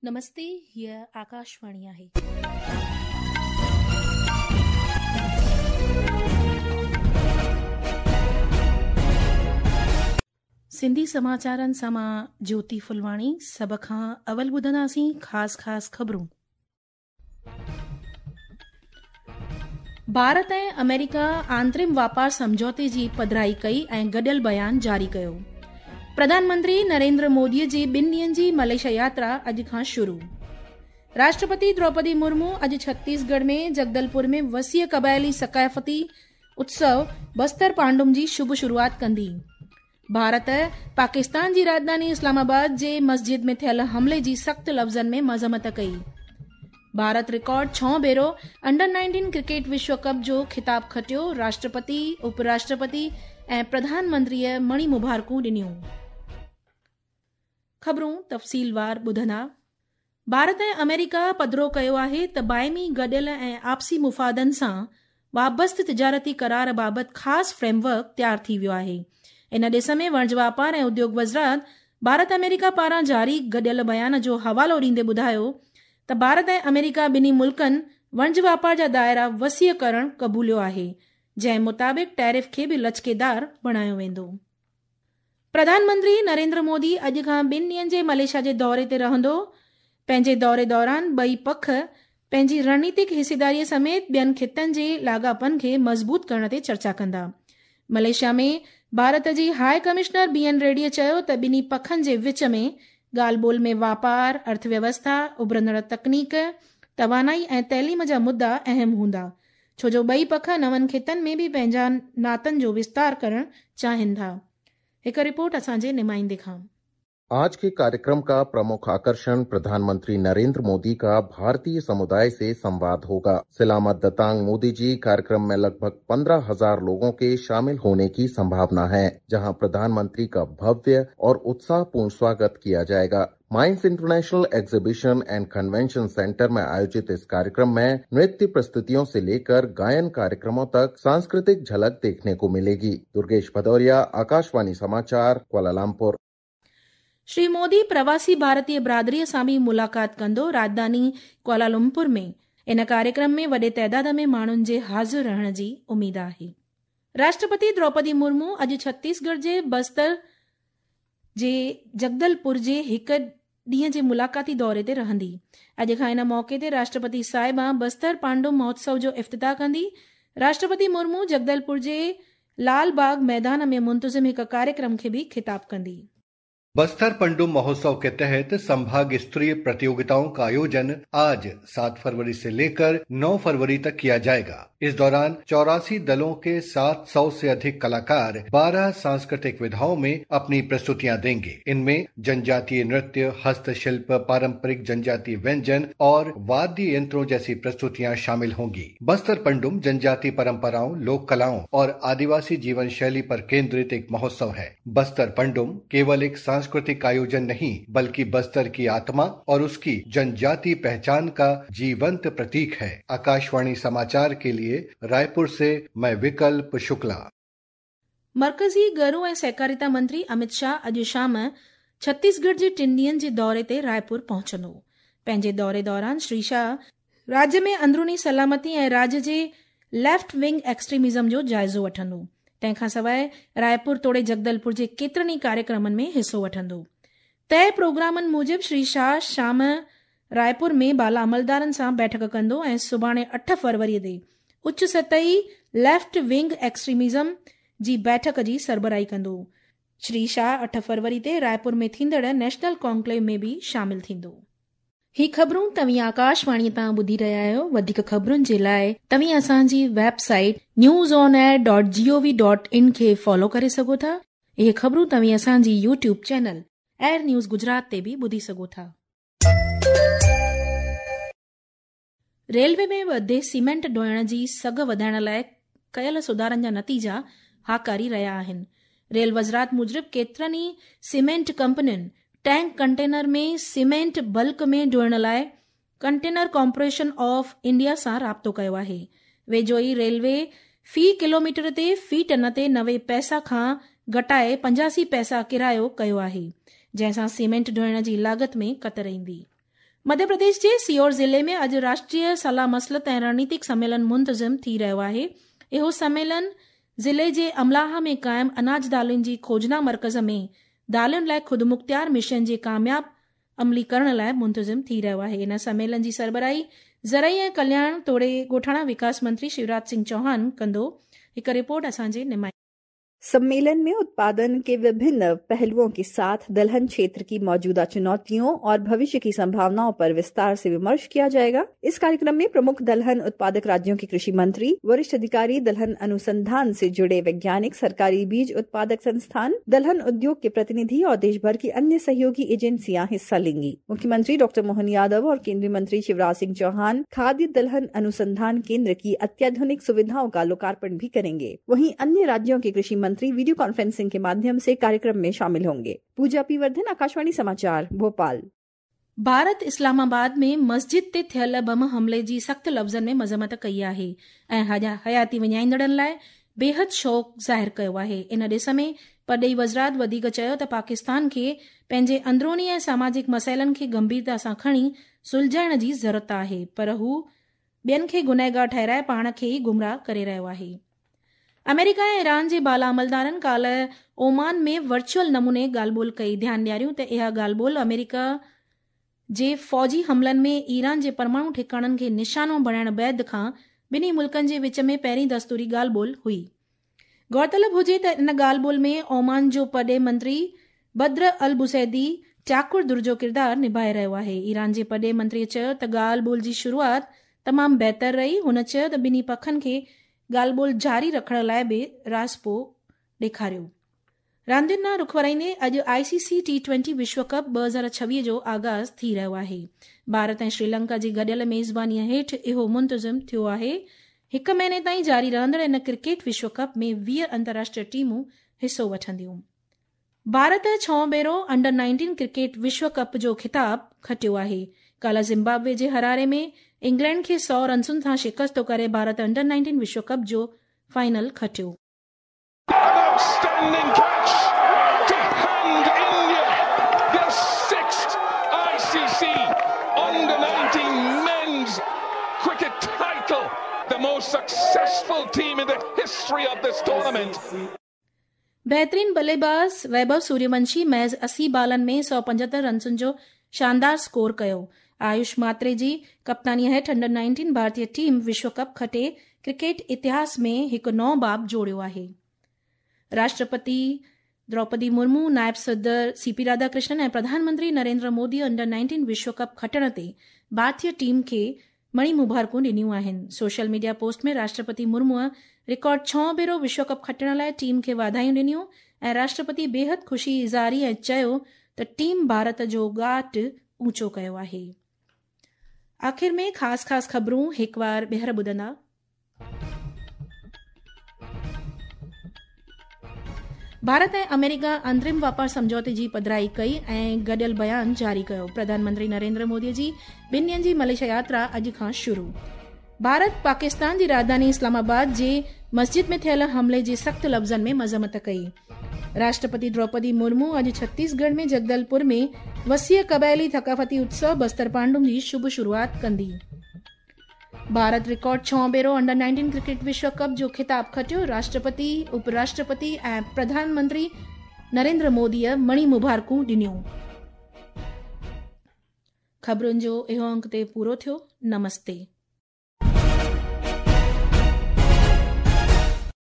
نمستي، هيء آڪاشواڻي آهي. سنڌي سماچارن سان مان جيوتي ڦلواڻي سڀ کان اول ٻڌنداسين خاص خاص خبرون. ڀارت ۽ آمريڪا آنترم واپار سمجهوتي جي پڌرائي ڪئي ۽ گڏيل بيان جاري ڪيو. پرڌان منتري نريندر مودي جي ٻن ڏينهن جي ملائيشيا ياترا اڄ کان شروع. راشٽرپتي دروپدي مرمو اڄ ڇتيسڳڙهه ۾ جگدلپور ۾ وسيع قبائلي ثقافتي اتسو بستر پانڊم جي شڀ شروعات ڪندي. ڀارت، پاڪستان جي راڄڌاني اسلام آباد جي مسجد ۾ ٿيل حملي جي سخت لفظن ۾ مذمت ڪئي. ڀارت رڪارڊ ڇهون ڀيرو انڊر نائنٽين ڪرڪيٽ وشو ڪپ جو خطاب کٽيو، راشٽرپتي، اپ راشٽرپتي ۽ پرڌان منتريء مڻي مبارڪون ڏنيون. خبرون تفصيلوار ٻڌندا. ڀارت ۽ آمريڪا پڌرو ڪيو آهي ته باهمي گڏيل ۽ آپسي مفادن سان وابسته تجارتي قرار بابت خاص فريم ورڪ تيار ٿي ويو آهي. ان ڏس ۾ وڻج واپار ۽ اديوگ وزارت ڀارت آمريڪا پاران جاري گڏيل بيان جو حوالو ڏيندي ٻڌايو ته ڀارت ۽ آمريڪا ٻنهي ملڪن وڻج واپار جا دائرا وسيع ڪرڻ قبوليو آهي جنهن مطابق ٽيرف کي به لچڪيدار بڻايو ويندو. پرڌان منتري نريندر مودي اڄ کان ٻن ڏينهن جي ملائيشيا جي دوري تي رهندو. پنهنجي دوري دوران ٻئي پک پنهنجي رڻنيتڪ حصيداري سميت ٻين خطن جي لاڳاپن کي مضبوط ڪرڻ تي چرچا ڪندا. ملائيشيا ۾ ڀارت جي هاء ڪمشنر بي اين ريڊيء چيو ته ٻنهي پکن جي وچ ۾ ڳالهه ٻولهه ۾ واپار، ارٿويوسٿا، اڀرندڙ تڪنيڪ، توانائي ۽ تعليم جا مدعا اهم هوندا. ڇو جو ٻئي پک نون خطن ۾ به پنهنجا ناتن جو وستار ڪرڻ چاهين ٿا. هڪ رپورٽ اسان جي نمائندي کان. आज के कार्यक्रम का प्रमुख आकर्षण प्रधानमंत्री नरेंद्र मोदी का भारतीय समुदाय से संवाद होगा। सलामत दतांग मोदी जी कार्यक्रम में लगभग 15,000 लोगों के शामिल होने की संभावना है, जहां प्रधानमंत्री का भव्य और उत्साहपूर्ण स्वागत किया जाएगा। Mines international exhibition and convention centre में आयोजित इस कार्यक्रम में नृत्य प्रस्तुतियों से लेकर गायन कार्यक्रमों तक सांस्कृतिक झलक देखने को मिलेगी। दुर्गेश भदौरिया, आकाशवाणी समाचार, कुआलालंपुर। श्री مودي پرواسي ڀارتيه برادريء سان به ملاقات ڪندو. راڄڌاني ڪوالالمپور ۾ ان ڪاريڪرم ۾ وڏي تعداد ۾ ماڻهن جي حاضر رهڻ جي اميد آهي. راشٽرپتي دروپدي مرمو اڄ ڇتيسڳڙهه جي بستر جي جگدلپور جي هڪ ڏينهن جي ملاقاتي دوري تي رهندي. اڄ کان ان موقعي تي راشٽرپتي صاحبان بستر پانڊم مهوتسو جو افتتاح ڪندي. راشٽرپتي مرمو جگدلپور جي لال باغ ميدان ۾ منتظم هڪ ڪاريڪرم کي به خطاب ڪندي. बस्तर पंडुम महोत्सव के तहत संभाग स्तरीय प्रतियोगिताओं का आयोजन आज 7 फरवरी से लेकर 9 फरवरी तक किया जाएगा। इस दौरान 84 दलों के 700 से अधिक कलाकार 12 सांस्कृतिक विधाओं में अपनी प्रस्तुतियां देंगे। इनमें जनजातीय नृत्य, हस्तशिल्प, पारंपरिक जनजातीय व्यंजन और वाद्य यंत्रों जैसी प्रस्तुतियां शामिल होंगी। बस्तर पंडुम जनजातीय परंपराओं, लोक कलाओं और आदिवासी जीवन शैली पर केंद्रित एक महोत्सव है। बस्तर पंडुम केवल एक सांस्कृतिक आयोजन नहीं, बल्कि बस्तर की आत्मा और उसकी जनजातीय पहचान का जीवंत प्रतीक है। आकाशवाणी समाचार के लिए रायपुर से मैं विकल्प शुक्ला। मर्कज़ी गरू ऐं सहकारिता मंत्री अमित शाह अॼु शाम छत्तीसगढ़ जे टिनि ॾींहनि जे दौरे ते रायपुर पहुचंदो। पंहिंजे दौरे दौरान श्री शाह राज्य में अंदरूनी सलामती ऐं राज्य जे लेफ्ट विंग एक्सट्रीमिज़म जो जाइज़ो वठंदो। तंहिं खां सवाइ रायपुर तोड़े जगदलपुर जे केतिरनि ई कार्यक्रमनि में हिसो वठंदो। तय प्रोग्रामनि मूजिबि श्री शाह शाम रायपुर में बाला अमलदारनि सां बैठक कंदो ऐं सुभाणे 8 फरवरी ते उच्च सतही लेफ्ट विंग एक्सट्रीमिज़म जी बैठक जी सरबराही कंदो। श्री शाह 8 फरवरी ते रायपुर में थींदड़ नेशनल कॉन्क्लेव में बि शामिल थींदो। ही ख़बरूं तव्हीं आकाशवाणी तां ॿुधी रहिया आहियो। वधीक ख़बरुनि जे लाइ तव्हीं असांजी website news on air dot G O V dot in खे फॉलो करे सघो था। इहे ख़बरूं तव्हीं असांजी YouTube channel air news Gujarat ते बि ॿुधी सघो था। रेलवे में वधे सीमेंट ढोइण जी सघ वधाइण लाइ कयल सुधारनि जा नतीजा हाकारी रहिया आहिनि। रेल वज़ारत मूजिबि केतिरनि ई सीमेंट कंपनियुनि टैंक कंटेनर में सीमेंट बल्क में ढोइण लाइ कंटेनर कॉर्पोरेशन ऑफ इंडिया सां राब्तो कयो आहे। वेझो ई रेलवे फ़ी किलोमीटर ते फ़ी टन ते 90 पैसा खां घटाए 85 पैसा किरायो कयो आहे, जंहिं सां सीमेंट ढोइण जी लागत में कतर ईंदी। مڌيه پرديش جي سيهور ضلعي ۾ اڄ راشٽريه صلاح مصلحت ۽ رڻنيتڪ سميلن منتظم ٿي رهيو آهي. اهو سميلن ضلعي جي املاها ۾ قائم اناج دالين جي کوجنا مرڪز ۾ دالين لاء خودمختيار مشن جي ڪامياب عملي ڪرڻ لاء منتظم ٿي رهيو آهي. ان سميلن جي سربراهي زرعي ۽ ڪلياڻ توڙي ڳوٺاڻا وڪاس منتري شيوراج سنگهه چوهان ڪندو. هڪ رپورٽ اسان جي نمائندي. सम्मेलन में उत्पादन के विभिन्न पहलुओं के साथ दलहन क्षेत्र की मौजूदा चुनौतियों और भविष्य की संभावनाओं पर विस्तार से विमर्श किया जाएगा। इस कार्यक्रम में प्रमुख दलहन उत्पादक राज्यों के कृषि मंत्री, वरिष्ठ अधिकारी, दलहन अनुसंधान से जुड़े वैज्ञानिक, सरकारी बीज उत्पादक संस्थान, दलहन उद्योग के प्रतिनिधि और देश भर की अन्य सहयोगी एजेंसियां हिस्सा लेंगी। मुख्यमंत्री डॉक्टर मोहन यादव और केंद्रीय मंत्री शिवराज सिंह चौहान खाद्य दलहन अनुसंधान केंद्र की अत्याधुनिक सुविधाओं का लोकार्पण भी करेंगे। वहीं अन्य राज्यों के कृषि मंत्री वीडियो कॉन्फ्रेंसिंग के माध्यम से कार्यक्रम में शामिल होंगे। पूजा पी वर्धन, आकाशवाणी समाचार, भोपाल। भारत इस्लामाबाद में मस्जिद ते थियल बम हमले जी सख़्त लफ़्ज़नि में मज़म्मत कई आहे ऐं हयाती वञाईंदड़नि लाइ बेहद शोक ज़ाहिर कयो आहे। इन ॾिस में परॾेही वज़ारत वधीक चयो त पाकिस्तान खे पंहिंजे अंदरूनी ऐं सामाजिक मसइलनि खे गंभीरता सां खणी सुलझाइण जी ज़रूरत आहे, पर हू ॿियनि खे गुनहगार ठहिराए पाण खे ई गुमराह करे रहियो आहे। अमेरिका ऐं ईरान जे बाला अमलदारनि काल्ह ओमान में वर्चुअल नमूने ॻाल्हि ॿोल कई। ध्यानु ॾियारियूं त इहा ॻाल्हि ॿोल अमेरिका जे फ़ौजी हमलनि में ईरान जे परमाणु ठिकाणनि खे निशानो बणाइण बाद खां ॿिन्ही मुल्कनि जे विच में पहिरीं दस्तूरी ॻाल्हि ॿोल हुई। गौरतलब हुजे त इन ॻाल्हि ॿोल में ओमान जो परॾेही मंत्री बद्र अल बुसैदी चाकुर दुर जो किरदारु निभाए रहियो आहे। ईरान जे परॾेही मंत्रीअ चयो त ॻाल्हि ॿोल जी शुरूआत तमामु बहितर रही। हुन चयो त ॿिन्ही पखनि खे ॻाल्हि ॿोल जारी रखण लाइ बि राज़पो ॾेखारियो। रांदियुनि ॾांहुं रुख वराईंदे अॼु आईसीसी टी20 विश्व कप 2026 जो आगाज़ थी रहियो आहे। भारत ऐं श्रीलंका जी गॾियल मेज़बानीअ हेठि इहो मुंतज़िम थियो आहे। हिकु महीने ताईं जारी रहंदड़ इन क्रिकेट विश्व कप में 20 अंतर्राष्ट्रीय टीमूं हिसो वठंदियूं। भारत छहों भेरो अंडर 19 क्रिकेट विश्व कप जो ख़िताब खटियो आहे। काल्ह ज़िम्बाब्वे जे हरारे में इंग्लैंड खे 100 रनसुनि सां शिकस्त करे भारत अंडर 19 विश्व कप जो फाइनल खटियो। Outstanding catch to hand India their sixth ICC Under 19 men's cricket title, the most successful team in the history of this tournament. बहितरीन बल्लेबाज़ वैभव सूर्यवंशी महज़ 80 बालनि में 175 रनसुनि जो शानदार स्कोर कयो। आयुष मात्रे जी कप्तानीअ हेठि अंडर 19 भारतीय टीम विश्व कप खटे क्रिकेट इतिहास में हिकु नओं बाब जोड़ियो आहे। राष्ट्रपति द्रौपदी मुर्मू, नायब सदर सीपी राधाकृष्णन ऐं प्रधानमंत्री नरेंद्र मोदी अंडर 19 विश्व कप खटण ते भारतीय टीम खे मणी मुबारकूं ॾिनियूं आहिनि। सोशल मीडिया पोस्ट में राष्ट्रपति मुर्मूअ रिकॉर्ड छहों भेरो विश्व कप खटण लाइ टीम खे वाधायूं ॾिनियूं ऐं राष्ट्रपति बेहद ख़ुशी इज़ारी ऐं चयो त टीम भारत जो ॻाट ऊंचो कयो आहे। आख़िर में ख़ासि ख़ासि ख़बरूं हिकु वार ॿीहर ॿुधंदा। भारत ऐं अमेरिका अंतरिम वापार सम्झौते जी पधराई कई ऐं गॾियल बयान जारी कयो। प्रधानमंत्री नरेंद्र मोदी जी ॿिनि ॾींहनि जी मलेशिया यात्रा अॼु खां शुरू। भारत पाकिस्तान जी राजधानी इस्लामाबाद जे मस्जिद में थियल हमले जी सख़्त लफ़्ज़नि में मज़म्मत कई। राष्ट्रपति द्रौपदी मुर्मू अॼु छत्तीसगढ़ में जगदलपुर में वसीअ क़बाइली थक़ाफ़ती उत्सव बस्तर पांडुम जी शुभ शुरूआत कंदी। भारत रिकॉर्ड छहों भेरो अंडर 19 क्रिकेट विश्व कप जो ख़िताब खटियो। राष्ट्रपति, उपराष्ट्रपति ऐं प्रधानमंत्री नरेंद्र मोदीअ मणी मुबारकूं ॾिनियूं। ख़बरुनि जो इहो अंक ते पूरो थियो। नमस्ते।